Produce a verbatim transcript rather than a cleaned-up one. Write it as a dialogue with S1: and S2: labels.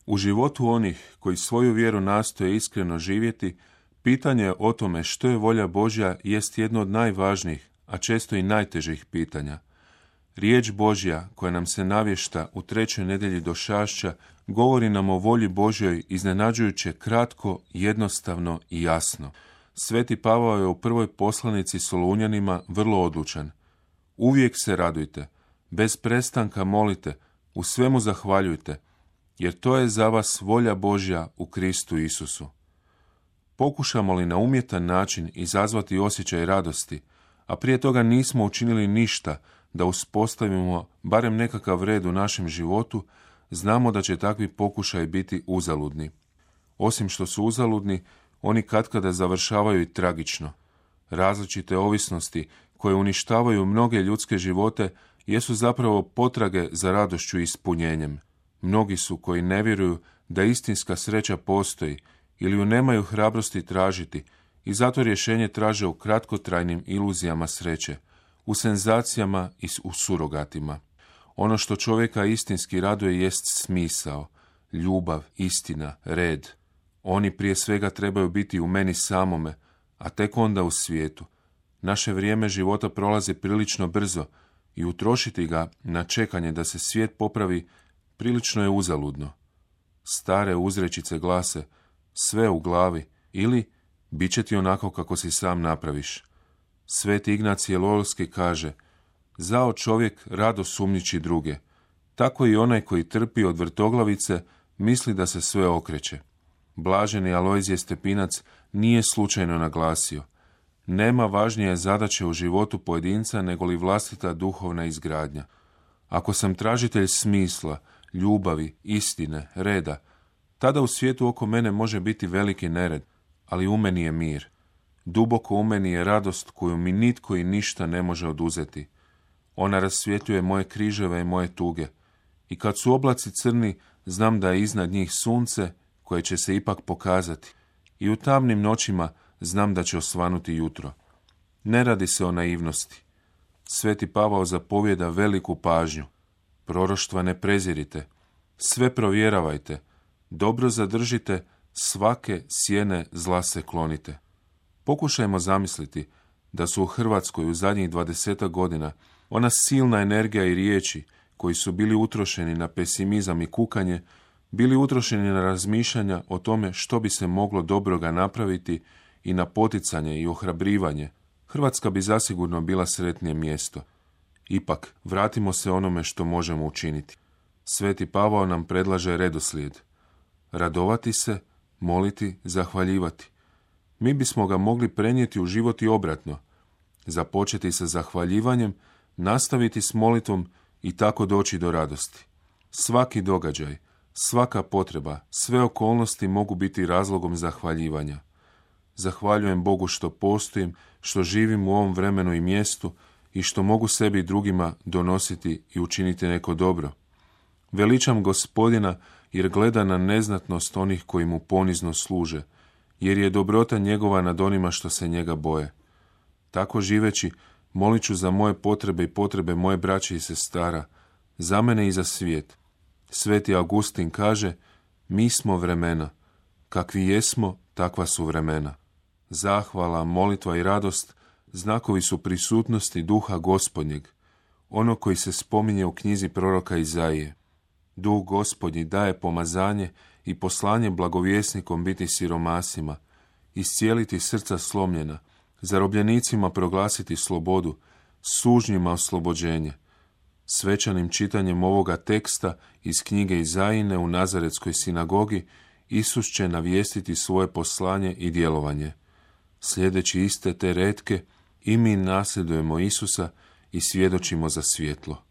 S1: U životu onih koji svoju vjeru nastoje iskreno živjeti, pitanje o tome što je volja Božja jest jedno od najvažnijih, a često i najtežih pitanja. Riječ Božja, koja nam se navješta u trećoj nedjelji došašća, govori nam o volji Božjoj iznenađujuće kratko, jednostavno i jasno. Sveti Pavao je u prvoj poslanici Solunjanima vrlo odlučan. Uvijek se radujte, bez prestanka molite, u svemu zahvaljujte, jer to je za vas volja Božja u Kristu Isusu. Pokušamo li na umjetan način izazvati osjećaj radosti, a prije toga nismo učinili ništa da uspostavimo barem nekakav red u našem životu, znamo da će takvi pokušaji biti uzaludni. Osim što su uzaludni, oni katkada završavaju i tragično. Različite ovisnosti koje uništavaju mnoge ljudske živote jesu zapravo potrage za radošću i ispunjenjem. Mnogi su koji ne vjeruju da istinska sreća postoji ili ju nemaju hrabrosti tražiti i zato rješenje traže u kratkotrajnim iluzijama sreće, u senzacijama i u surogatima. Ono što čovjeka istinski raduje jest smisao, ljubav, istina, red. Oni prije svega trebaju biti u meni samome, a tek onda u svijetu. Naše vrijeme života prolazi prilično brzo i utrošiti ga na čekanje da se svijet popravi prilično je uzaludno. Stare uzrečice glase sve u glavi ili bit će ti onako kako si sam napraviš. Sveti Ignacije Lolski kaže zao čovjek rado sumnjiči druge. Tako i onaj koji trpi od vrtoglavice misli da se sve okreće. Blaženi Alojzije Stepinac nije slučajno naglasio nema važnije zadaće u životu pojedinca nego li vlastita duhovna izgradnja. Ako sam tražitelj smisla, ljubavi, istine, reda, tada u svijetu oko mene može biti veliki nered, ali u meni je mir. Duboko u meni je radost koju mi nitko i ništa ne može oduzeti. Ona rasvjetljuje moje križeve i moje tuge. I kad su oblaci crni, znam da je iznad njih sunce koje će se ipak pokazati. I u tamnim noćima znam da će osvanuti jutro. Ne radi se o naivnosti. Sveti Pavao zapovjeda veliku pažnju. Proroštva ne prezirite. Sve provjeravajte. Dobro zadržite, svake sjene zla se klonite. Pokušajmo zamisliti da su u Hrvatskoj u zadnjih dvadesetak godina ona silna energija i riječi koji su bili utrošeni na pesimizam i kukanje, bili utrošeni na razmišljanja o tome što bi se moglo dobroga napraviti i na poticanje i ohrabrivanje, Hrvatska bi zasigurno bila sretnije mjesto. Ipak, vratimo se onome što možemo učiniti. Sveti Pavao nam predlaže redoslijed. Radovati se, moliti, zahvaljivati. Mi bismo ga mogli prenijeti u život i obratno. Započeti sa zahvaljivanjem, nastaviti s molitvom i tako doći do radosti. Svaki događaj, svaka potreba, sve okolnosti mogu biti razlogom zahvaljivanja. Zahvaljujem Bogu što postojim, što živim u ovom vremenu i mjestu i što mogu sebi i drugima donositi i učiniti neko dobro. Veličam Gospodina jer gleda na neznatnost onih koji mu ponizno služe, jer je dobrota njegova nad onima što se njega boje. Tako živeći, molit ću za moje potrebe i potrebe moje braće i sestara, za mene i za svijet. Sveti Augustin kaže, mi smo vremena, kakvi jesmo, takva su vremena. Zahvala, molitva i radost znakovi su prisutnosti duha Gospodnjeg, ono koji se spominje u knjizi proroka Izaije. Duh Gospodnji daje pomazanje i poslanje blagovjesnikom biti siromasima, iscijeliti srca slomljena, zarobljenicima proglasiti slobodu, sužnjima oslobođenje. Svečanim čitanjem ovoga teksta iz knjige Izajine u Nazaretskoj sinagogi Isus će navijestiti svoje poslanje i djelovanje. Sljedeći iste te retke, i mi nasljedujemo Isusa i svjedočimo za svjetlo.